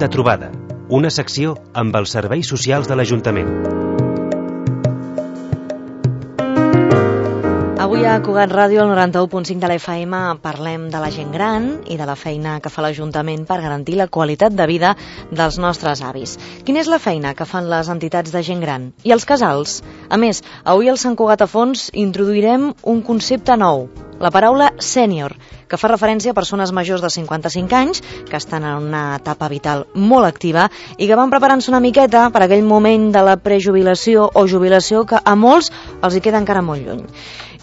de trobada, una secció amb els serveis socials de l'Ajuntament. Avui a Cugat Ràdio, al 91.5 de la FM, parlem de la gent gran i de la feina que fa l'Ajuntament per garantir la qualitat de vida dels nostres avis. Quina és la feina que fan les entitats de gent gran? I els casals? A més, avui al Sant Cugat a Fons introduirem un concepte nou, la paraula sènior, que fa referència a persones majors de 55 anys que estan en una etapa vital molt activa i que van preparant-se una miqueta per aquell moment de la prejubilació o jubilació que a molts els hi queda encara molt lluny.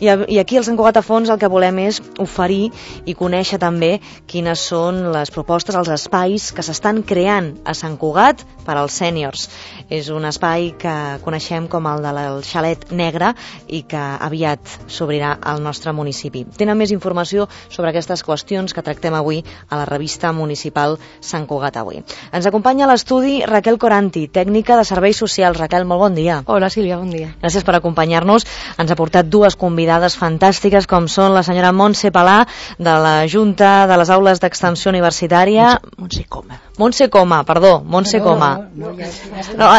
I aquí al Sant Cugat a Fons el que volem és oferir i conèixer també quines són les propostes, els espais que s'estan creant a Sant Cugat per als sèniors. És un espai que coneixem com el del Xalet Negre i que aviat s'obrirà al nostre municipi. Tenen més informació sobre aquestes qüestions que tractem avui a la revista municipal Sant Cugat Avui. Ens acompanya a l'estudi Raquel Coranti, tècnica de serveis socials. Raquel, molt bon dia. Hola, Sílvia, bon dia. Gràcies per acompanyar-nos. Ens ha portat dues convidades fantàstiques com són la senyora Montse Palà de la Junta de les Aules d'Extensió Universitària. Montse Coma. Montse Coma, perdó, Montse Coma.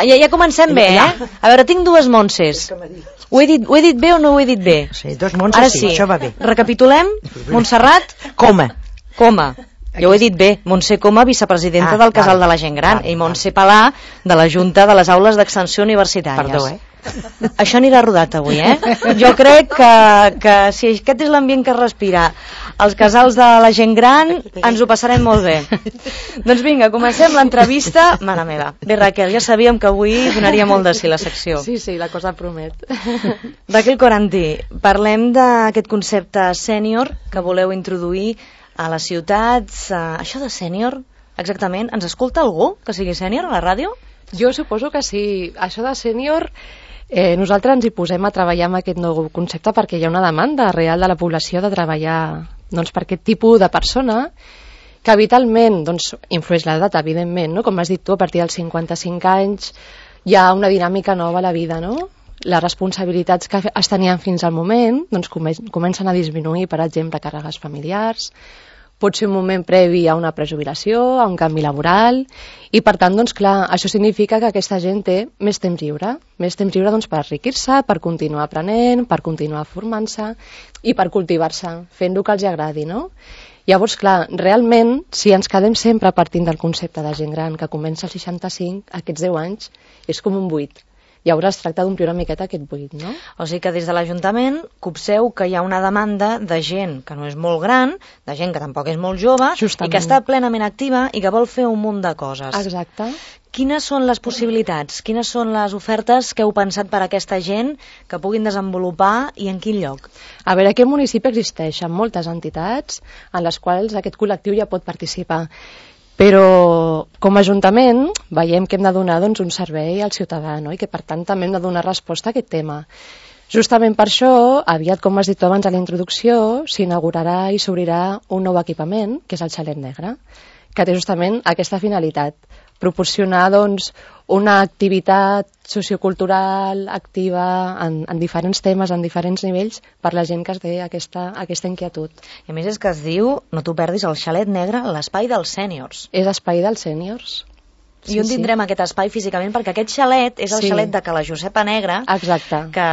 Ja comencem bé, eh? A veure, tinc dues Montses. Ho he dit bé o no ho he dit bé? Sí, dos Montses, sí, això va bé. Recapitulem. Montserrat? Coma. Jo ho he dit bé. Montse Coma, vicepresidenta del Casal de la Gent Gran, i Montse Palà de la Junta de les Aules d'Extensió Universitàries. Perdó, Això anirà rodat avui, eh? Jo crec que si aquest és l'ambient que respira els casals de la gent gran, ens ho passarem molt bé. Doncs vinga, comencem l'entrevista. Mare meva. Bé, Raquel, ja sabíem que avui donaria molt de si la secció. Sí, la cosa promet. Raquel Coranti, parlem d'aquest concepte sènior que voleu introduir a les ciutats. Això de sènior, exactament, ens escolta algú que sigui sènior a la ràdio? Jo suposo que sí. Això de sènior, nosaltres ens hi posem a treballar amb aquest nou concepte perquè hi ha una demanda real de la població de treballar per aquest tipus de persona que vitalment influeix l'edat, evidentment, no? Com has dit tu, a partir dels 55 anys hi ha una dinàmica nova a la vida, no? Les responsabilitats que es tenien fins al moment comencen a disminuir, per exemple, càrregues familiars, pot ser un moment previ a una prejubilació, a un canvi laboral, i per tant, clar, això significa que aquesta gent té més temps lliure per enriquir-se, per continuar aprenent, per continuar formant-se i per cultivar-se, fent el que els agradi, no? Llavors, clar, realment, si ens quedem sempre partint del concepte de gent gran que comença als 65, aquests 10 anys, és com un buit. Llavors es tracta d'omplir una miqueta aquest buit, no? O sigui que des de l'Ajuntament copseu que hi ha una demanda de gent que no és molt gran, de gent que tampoc és molt jove, justament, i que està plenament activa i que vol fer un munt de coses. Exacte. Quines són les possibilitats? Quines són les ofertes que heu pensat per a aquesta gent que puguin desenvolupar i en quin lloc? A veure, aquí al municipi existeixen moltes entitats en les quals aquest col·lectiu ja pot participar. Però com a Ajuntament veiem que hem de donar un servei al ciutadà, no? I que per tant també hem de donar resposta a aquest tema. Justament per això, aviat, com has dit tu abans a la introducció, s'inaugurarà i s'obrirà un nou equipament, que és el Xalet Negre, que té justament aquesta finalitat, proporcionar una activitat sociocultural activa en diferents temes, en diferents nivells, per la gent que es té aquesta inquietud. I a més és que es diu, no t'ho perdis, el Xalet Negre, l'espai dels sèniors. És espai dels sèniors. I on tindrem aquest espai físicament? Perquè aquest xalet és el xalet de Cala Josepa Negra. Exacte. Que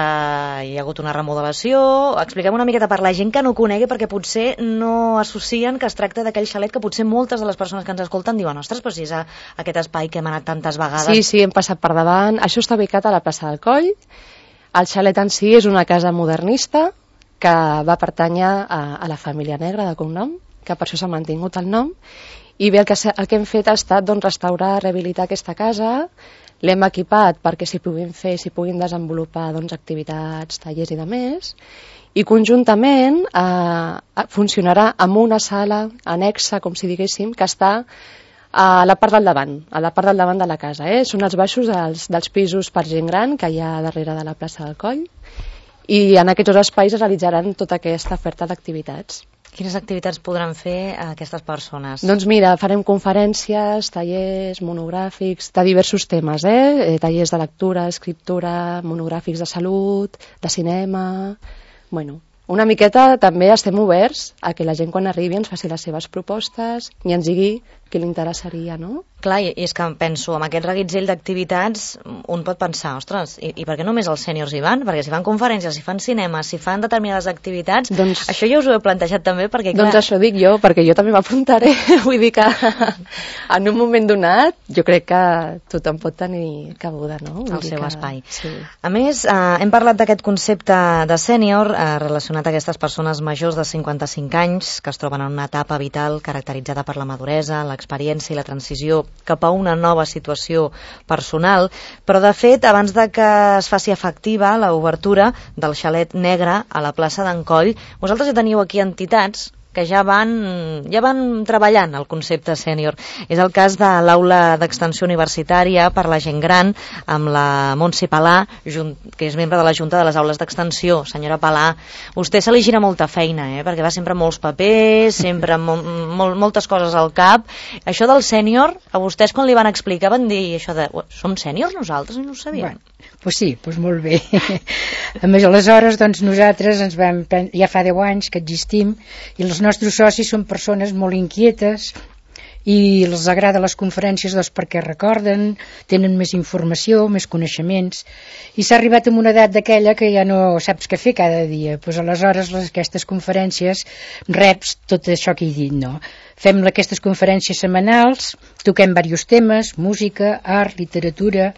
hi ha hagut una remodelació. Expliquem una miqueta per la gent que no ho conegui, perquè potser no associen que es tracta d'aquell xalet que potser moltes de les persones que ens escolten diuen, ostres, però si és aquest espai que hem anat tantes vegades. Sí, hem passat per davant. Això està ubicat a la plaça del Coll. El xalet en si és una casa modernista que va pertànyer a la família Negra de cognom, que per això s'ha mantingut el nom. I bé, el que hem fet ha estat restaurar, rehabilitar aquesta casa, l'hem equipat perquè s'hi puguin desenvolupar activitats, tallers i demés, i conjuntament funcionarà amb una sala anexa, com si diguéssim, que està a la part del davant de la casa. Són els baixos dels pisos per gent gran que hi ha darrere de la plaça del Coll, i en aquests dos espais es realitzaran tota aquesta oferta d'activitats. Quines activitats podran fer aquestes persones? Doncs mira, farem conferències, tallers, monogràfics, de diversos temes, tallers de lectura, escriptura, monogràfics de salut, de cinema. Bueno, una miqueta també estem oberts a que la gent quan arribi ens faci les seves propostes i ens digui que li interessaria, no? Clar, i és que penso, amb aquest reguitzell d'activitats, un pot pensar, ostres, i per què només els sèniors hi van? Perquè si fan conferències, si fan cinema, si fan determinades activitats, doncs, això ja us ho he plantejat també, perquè clar... Doncs això dic jo, perquè jo també m'apuntaré. Vull dir que en un moment donat jo crec que tothom pot tenir cabuda, no? El seu espai. Sí. A més, hem parlat d'aquest concepte de sènior relacionat a aquestes persones majors de 55 anys que es troben en una etapa vital caracteritzada per la maduresa, l'experiència i la transició cap a una nova situació personal, però de fet, abans de que es faci efectiva l'obertura del xalet negre a la plaça d'en Coll, vosaltres ja teniu aquí entitats que ja van treballant el concepte sènior. És el cas de l'aula d'extensió universitària per la gent gran, amb la Montse Palà, que és membre de la Junta de les Aules d'Extensió. Senyora Palà, vostè se li gira molta feina, perquè va sempre amb molts papers, sempre amb moltes coses al cap. Això del sènior, a vostès quan li van explicar van dir això de som sèniors nosaltres? No ho sabíem. Bueno, pues sí, pues molt bé. A més, aleshores, doncs, nosaltres ja fa 10 anys que existim i els nostres socis són persones molt inquietes i els agrada les conferències perquè recorden, tenen més informació, més coneixements, i s'ha arribat a una edat d'aquella que ja no saps què fer cada dia. Pues aleshores aquestes conferències reps tot això que he dit, no? Fem aquestes conferències setmanals, toquem diversos temes, música, art, literatura,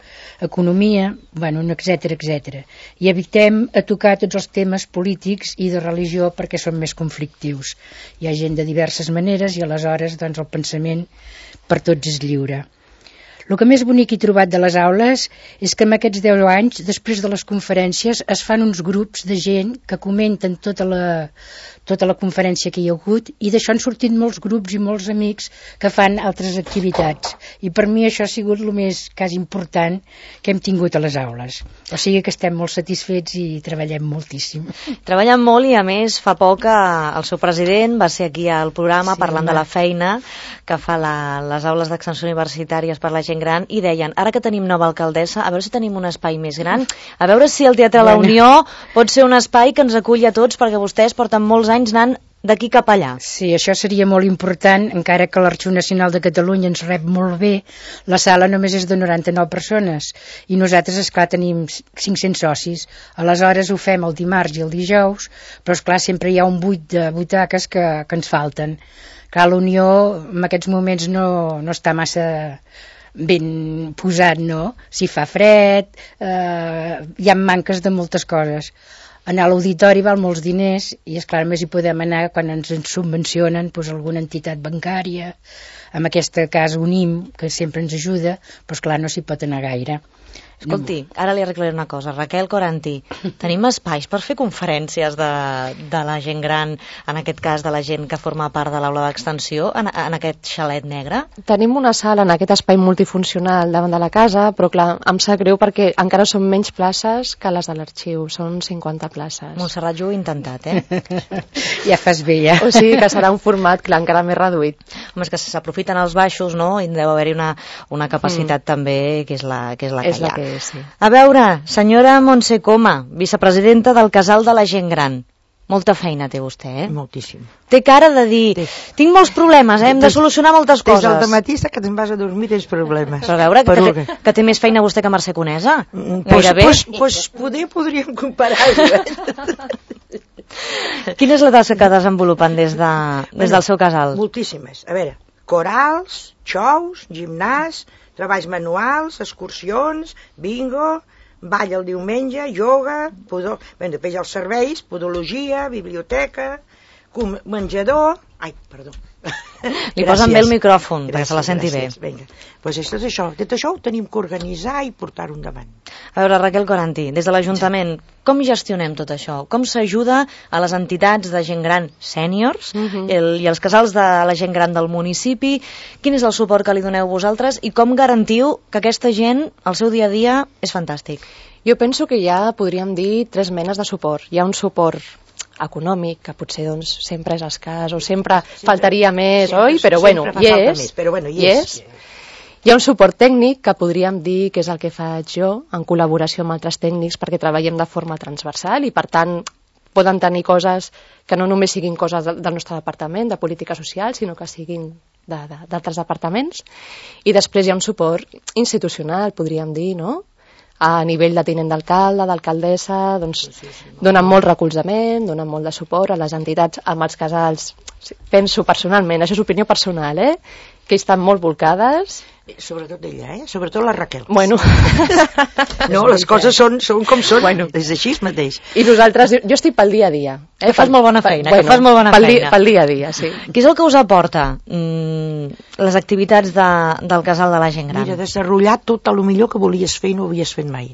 economia, etc, etc. I evitem a tocar tots els temes polítics i de religió perquè són més conflictius. Hi ha gent de diverses maneres i aleshores doncs, el pensament per tots és lliure. El que més bonic he trobat de les aules és que en aquests 10 anys, després de les conferències, es fan uns grups de gent que comenten tota la conferència que hi ha hagut i d'això han sortit molts grups i molts amics que fan altres activitats. I per mi això ha sigut el més quasi important que hem tingut a les aules. O sigui que estem molt satisfets i treballem moltíssim. Treballen molt i a més fa poc el seu president va ser aquí al programa parlant de la feina que fa les aules d'extensió universitàries per la gent gran i deien, ara que tenim nova alcaldessa, a veure si tenim un espai més gran, a veure si el Teatre La Unió pot ser un espai que ens aculli a tots perquè vostès porten molts anys anant d'aquí cap allà. Sí, això seria molt important, encara que l'Arxiu Nacional de Catalunya ens rep molt bé, la sala només és de 99 persones i nosaltres, esclar, tenim 500 socis. Aleshores ho fem el dimarts i el dijous, però esclar, sempre hi ha un buit de butaques que ens falten. Clar, la Unió en aquests moments no està massa ben posat, no? Si fa fred, hi ha manques de moltes coses. Anar a l'auditori val molts diners i, esclar, més hi podem anar quan ens subvencionen alguna entitat bancària, en aquest cas UNIM, que sempre ens ajuda, però esclar, no s'hi pot anar gaire. Escolti, ara li arreglaré una cosa. Raquel Coranty, tenim espais per fer conferències de la gent gran, en aquest cas de la gent que forma part de l'aula d'extensió, en aquest xalet negre? Tenim una sala en aquest espai multifuncional davant de la casa, però clar, em sap greu perquè encara són menys places que les de l'arxiu, són 50 places. Montserrat, jo ho he intentat, Ja fas bé, ja. O sigui que serà un format, clar, encara més reduït. Home, és que s'aprofiten els baixos, no? I deu haver-hi una capacitat també que és la que hi ha. Sí. A veure, senyora Montse Coma, vicepresidenta del Casal de la Gent Gran. Molta feina té vostè, Moltíssim. Té cara de dir, tinc molts problemes, hem de solucionar moltes coses. Des del matí que te'n vas a dormir tens problemes. Però a veure, que té més feina vostè que Mercè Conesa. Pues podríem comparar-ho. Quina és la tasca que desenvolupen des del seu casal? Moltíssimes. A veure, corals, xous, gimnàs, treballs manuals, excursions, bingo, ball el diumenge, ioga, després els serveis, podologia, biblioteca, menjador... Ai, perdó. Li posen bé el micròfon, perquè se la senti bé. Vinga. Pues tot això ho tenim que organitzar i portar-ho endavant. A veure, Raquel Coranty, des de l'Ajuntament, com gestionem tot això? Com s'ajuda a les entitats de gent gran sèniors i els casals de la gent gran del municipi? Quin és el suport que li doneu vosaltres i com garantiu que aquesta gent, el seu dia a dia, és fantàstic? Jo penso que ja podríem dir 3 menes de suport. Hi ha un suport econòmic, que potser doncs, sempre és escàs o sempre faltaria més, oi? Però bueno, hi és. Hi ha un suport tècnic que podríem dir que és el que faig jo en col·laboració amb altres tècnics perquè treballem de forma transversal i per tant poden tenir coses que no només siguin coses del nostre departament de política social, sinó que siguin d'altres departaments, i després hi ha un suport institucional, podríem dir, no? A nivell de tinent d'alcalde, d'alcaldessa, doncs donen molt recolzament, donen molt de suport a les entitats, amb els casals. Penso personalment, això és opinió personal, que estan molt volcades. Sobretot ella, sobretot la Raquel. Bueno. No, les coses són com són, bueno. és així mateix. I nosaltres, jo estic pel dia a dia. Que fas molt bona feina, que fas molt bona feina. Pel dia a dia, sí. Què és el que us aporta les activitats del casal de la gent gran? Mira, desenrotllar tot el millor que volies fer i no havies fet mai.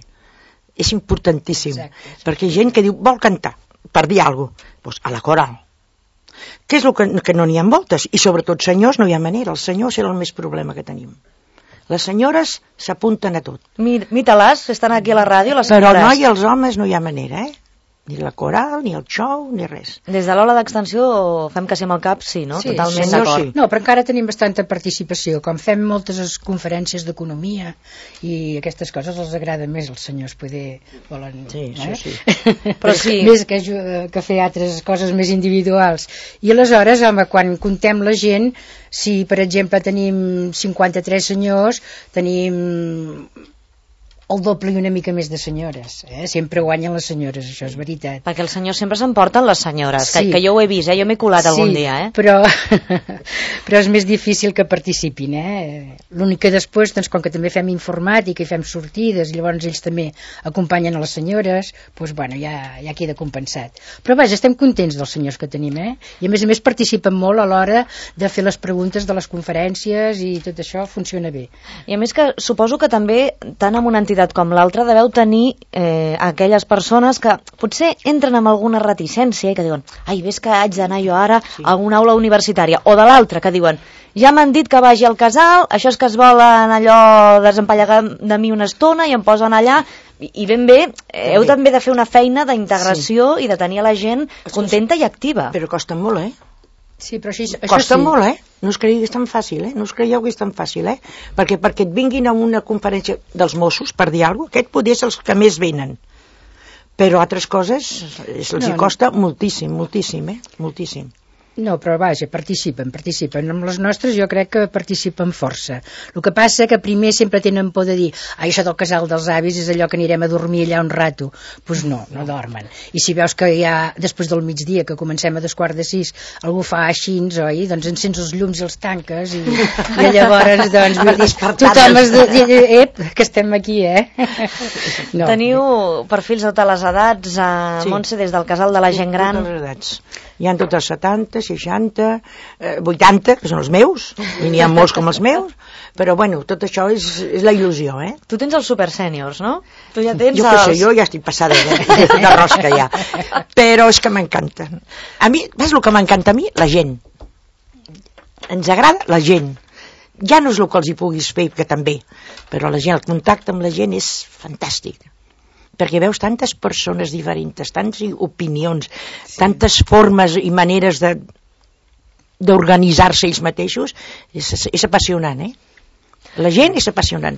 És importantíssim. Exacte. Perquè hi ha gent que diu, vol cantar, per dir alguna cosa, doncs a la coral. Què és el que no n'hi ha voltes? I sobretot senyors no hi ha manera, els senyors era el més problema que tenim. Les senyores s'apunten a tot. Mita-les, estan aquí a la ràdio, les Però senyores. no i els homes no hi ha manera, Ni la coral, ni el show, ni res. Des de l'Ola d'Extensió fem que sí amb el cap, sí, no? Sí, totalment senyor, d'acord. sí. No, però encara tenim bastanta participació. Com fem moltes conferències d'economia i aquestes coses els agrada més als senyors, poder volen... Sí, això sí. Però sí. Més que fer altres coses més individuals. I aleshores, home, quan contem la gent, si per exemple tenim 53 senyors, tenim el doble i una mica més de senyores. Sempre guanyen les senyores, això és veritat. Perquè els senyors sempre s'emporten les senyores, Sí. que jo ho he vist, jo m'he colat algun dia. Però és més difícil que participin. L'únic que després, doncs, com que també fem informàtica i fem sortides, i llavors ells també acompanyen a les senyores, doncs, bueno, ja queda compensat. Però vaja, estem contents dels senyors que tenim, i a més participen molt a l'hora de fer les preguntes de les conferències i tot això funciona bé. I a més que suposo que també, tant amb una entitat com l'altra, deveu tenir aquelles persones que potser entren amb alguna reticència i que diuen, ai, ves que haig d'anar jo ara a una aula universitària, o de l'altra que diuen, ja m'han dit que vagi al casal, això és que es volen allò desempallegar de mi una estona i em posen allà, i ben bé, heu també de fer una feina d'integració i de tenir a la gent contenta i activa. Però costa molt, Sí, però això costa sí. molt, No us creieu que és tan fàcil, No us creieu que és tan fàcil, Perquè et vinguin a una conferència dels Mossos, per dir alguna cosa, aquest poder és els que més venen. Però altres coses els costa moltíssim, moltíssim. No, però vaja, participen. Amb les nostres jo crec que participen força. El que passa que primer sempre tenen por de dir això del casal dels avis és allò que anirem a dormir allà un rato. Doncs no dormen. I si veus que ja després del migdia, que comencem a 5:45, algú fa així, oi? Doncs encens els llums i els tanques i llavors, doncs, vull dir, tothom es diu, que estem aquí, No. Teniu perfils de totes les edats, Montse, des del casal de la gent gran? Totes les edats. Hi ha tots els 70, 60, 80, que són els meus, i n'hi ha molts com els meus, però bueno, tot això és la il·lusió, Tu tens els super sèniors, no? Tu ja tens jo què sé, jo ja estic passada de rosca ja, però és que m'encanten. A mi, saps el que m'encanta a mi? La gent. Ens agrada la gent. Ja no és el que els hi puguis fer, que també, però la gent, el contacte amb la gent és fantàstic. Perquè veus tantes persones diferents, tantes opinions, tantes formes i maneres d'organitzar-se ells mateixos, és apassionant, La gent és apassionant.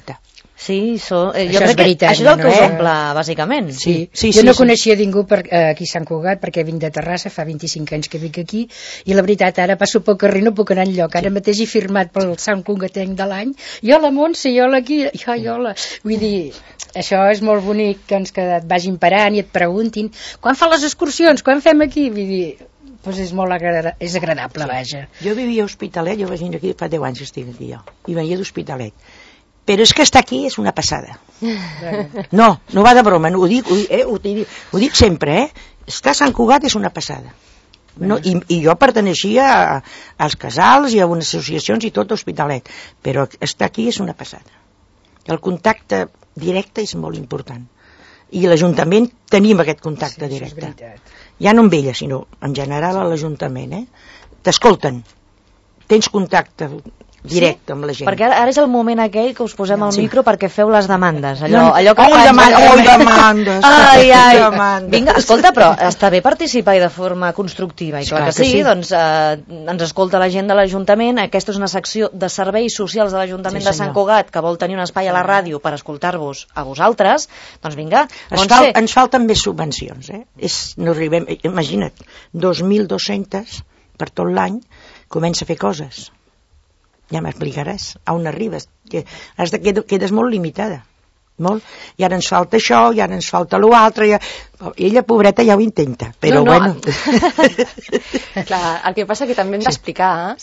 Sí, jo és crec veritat, que això és el que us omple, bàsicament. Sí. Jo no coneixia ningú aquí a Sant Cugat, perquè vinc de Terrassa, fa 25 anys que vinc aquí, i la veritat, ara passo pel carrer, no puc anar enlloc. Ara mateix he firmat pel Sant Cugatenc de l'any, jo la Montse, jo la aquí, jo la... Vull dir, això és molt bonic, doncs, que et vagin parant i et preguntin quan fan les excursions, quan fem aquí, vull dir, doncs és molt agradable, vaja. Jo vivia a Hospitalet, jo vaig venir aquí fa 10 anys que estic aquí jo, i venia d'Hospitalet, però és que estar aquí és una passada. No va de broma, ho dic sempre, estar a Sant Cugat és una passada. I jo perteneixia als casals i a unes associacions i tot a Hospitalet, però estar aquí és una passada. El contacte directe és molt important, i a l'Ajuntament tenim aquest contacte directe, ja no amb ella sinó en general a l'Ajuntament, t'escolten, tens contacte directe amb la gent. Perquè ara és el moment aquell que us posem al micro perquè feu les demandes, allò que demandes. Vinga, escolta, però està bé participar i de forma constructiva, i clar que sí, doncs ens escolta la gent de l'Ajuntament, aquesta és una secció de serveis socials de l'Ajuntament de Sant Cugat que vol tenir un espai a la ràdio per escoltar-vos a vosaltres, doncs vinga. Ens falten més subvencions, no arribem, imagina't, 2.200 per tot l'any, comença a fer coses. ja m'explicaràs a on arribes, que quedes molt limitada, molt, i ara ens falta això, i ara ens falta l'altre, ella, pobreta, ja ho intenta, però bueno. Clar, el que passa que també hem d'explicar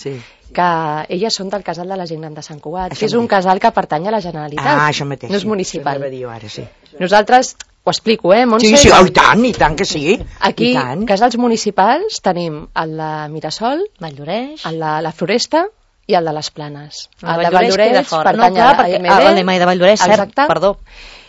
que elles són del casal de la gent gran de Sant Cugat, que és un casal que pertany a la Generalitat, això mateix, no és municipal. Ara, sí. Nosaltres, ho explico, Montse? Sí, i tant que sí. Aquí, casals municipals, tenim el de Mirasol, Valldoreix, el de la Floresta i el de les Planes. El de Valldoreix pertany a l'EMA de Valldoreix, cert, perdó.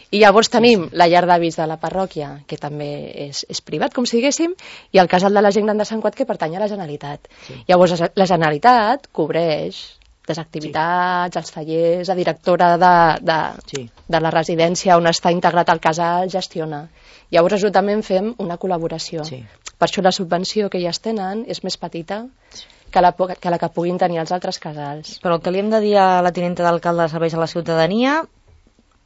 I llavors tenim la llar d'avis de la parròquia, que també és privat, com si diguéssim, i el casal de la gent gran de Sant Cugat, que pertany a la Generalitat. Llavors, la Generalitat cobreix les activitats, els tallers, la directora de la residència on està integrat el casal gestiona. Llavors, també fem una col·laboració. Per això la subvenció que elles tenen és més petita que la que puguin tenir els altres casals. Però el que li hem de dir a la tinenta d'alcalde de serveis a la ciutadania...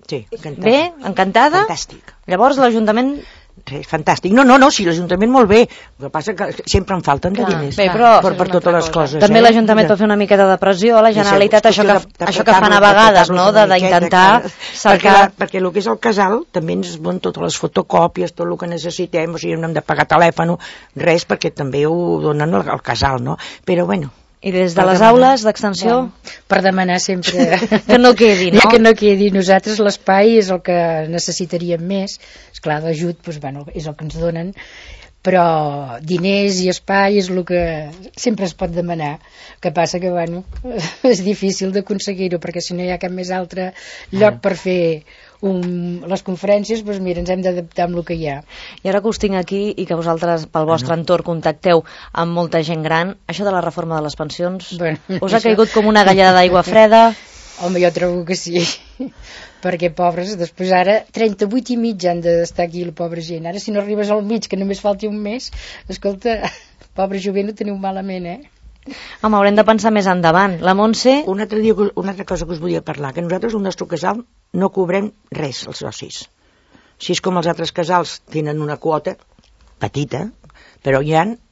Sí, encantada. Bé, encantada? Fantàstic. Llavors l'Ajuntament... Fantàstic. No, sí, l'Ajuntament molt bé. El que passa que sempre en falten de diners per totes les coses. També l'Ajuntament pot fer una miqueta de pressió a la Generalitat, això que fan a vegades, no?, d'intentar cercar... Perquè el que és el casal també ens van totes les fotocòpies, tot el que necessitem, o sigui, no hem de pagar telèfon, res, perquè també ho donen al casal, no? Però bueno... I des de les aules d'extensió? Per demanar sempre... Que no quedi, no? Que no quedi. Nosaltres l'espai és el que necessitaríem més. Esclar, l'ajut és el que ens donen, però diners i espai és el que sempre es pot demanar. El que passa que, és difícil d'aconseguir-ho, perquè si no hi ha cap més altre lloc per fer les conferències, doncs mira, ens hem d'adaptar amb el que hi ha. I ara que us tinc aquí i que vosaltres pel vostre entorn contacteu amb molta gent gran, això de la reforma de les pensions us ha caigut com una galleda d'aigua freda? Home, jo trobo que sí, perquè pobres, després ara 38 i mig han d'estar aquí la pobra gent, ara si no arribes al mig que només falti un mes, escolta, pobre jovent ho teniu malament, Home, haurem de pensar més endavant. La Montse... Una altra cosa que us volia parlar, que nosaltres al nostre casal no cobrem res als socis. Si és com els altres casals tenen una quota petita, però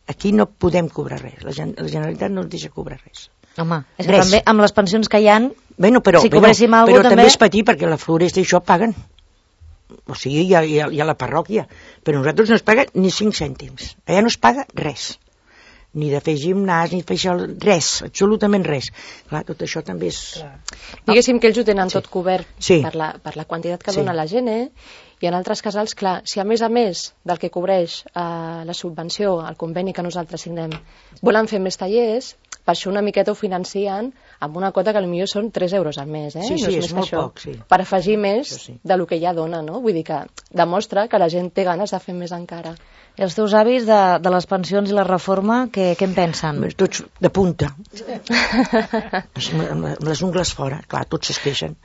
aquí no podem cobrar res. La Generalitat no ens deixa cobrar res. Home, és que també amb les pensions que hi ha, si cobréssim alguna cosa però també és petit, perquè la Floresta i això paguen. O sigui, hi ha la parròquia, però nosaltres no es paga ni 5 cèntims. Allà no es paga res. Ni de fer gimnàs, ni de fer això, res, absolutament res. Clar, tot això també és... Diguéssim que ells ho tenen tot cobert per la quantitat que dona la gent, i en altres casals, clar, si a més del que cobreix la subvenció, el conveni que nosaltres signem, volen fer més tallers, per això una miqueta ho financien amb una quota que potser són 3 euros al mes, Sí, no és molt poc, sí. Per afegir més del que ja dona, no? Vull dir que demostra que la gent té ganes de fer més encara. I els teus avis de les pensions i la reforma, què en pensen? Tots de punta. Amb les ungles fora, clar, tots es queixen.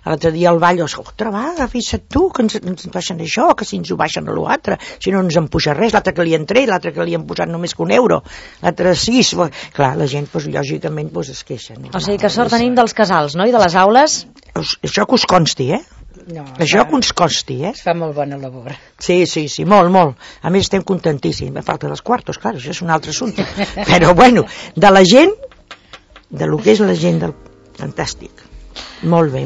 L'altre dia al ball, otra vaga, fixa't tu, que ens baixen això, que si ens ho baixen a l'altre, si no ens en puja res, l'altre que li han tret, l'altre que li han posat només que €1, l'altre 6, clar, la gent, lògicament, es queixen. O sigui que sort tenim dels casals, no?, i de les aules? Això que us consti, No, això que uns costi, Es fa molt bona labor. Sí, molt. A més estem contentíssims. A falta dels quartos, clar, això és un altre assumpte. Però bueno, de la gent, de lo que és la gent del... Fantàstic. Molt bé.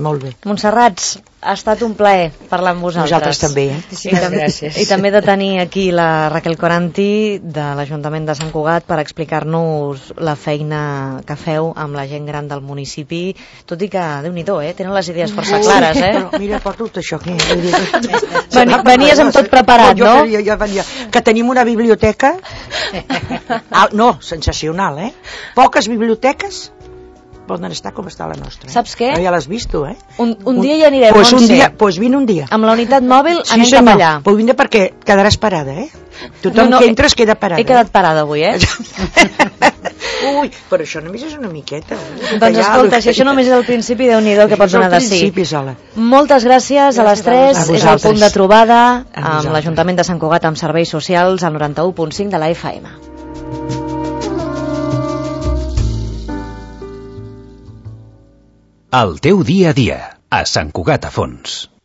Montserrat, ha estat un plaer parlar amb vosaltres. Nosaltres també, gràcies. I també de tenir aquí la Raquel Coranti de l'Ajuntament de Sant Cugat per explicar-nos la feina que feu amb la gent gran del municipi, tot i que, Déu-n'hi-do, tenen les idees força clares, Però mira, porto tot això aquí. Venies amb tot preparat, no? Jo venia. Que tenim una biblioteca, sensacional, Poques biblioteques poden estar com està la nostra. Saps què? Ja l'has vist tu, Un dia hi anirem, Montse. Doncs vine un dia. Amb la unitat mòbil anem cap allà. Doncs vine perquè quedaràs parada, Tothom que entres queda parada. He quedat parada avui, Ui, però això només és una miqueta. Doncs escolta, si això només és el principi, Déu-n'hi-do que pots donar de sí. Moltes gràcies a les 3, és el punt de trobada amb l'Ajuntament de Sant Cugat amb serveis socials al 91.5 de la FM. El teu dia a dia, a Sant Cugat a Fons.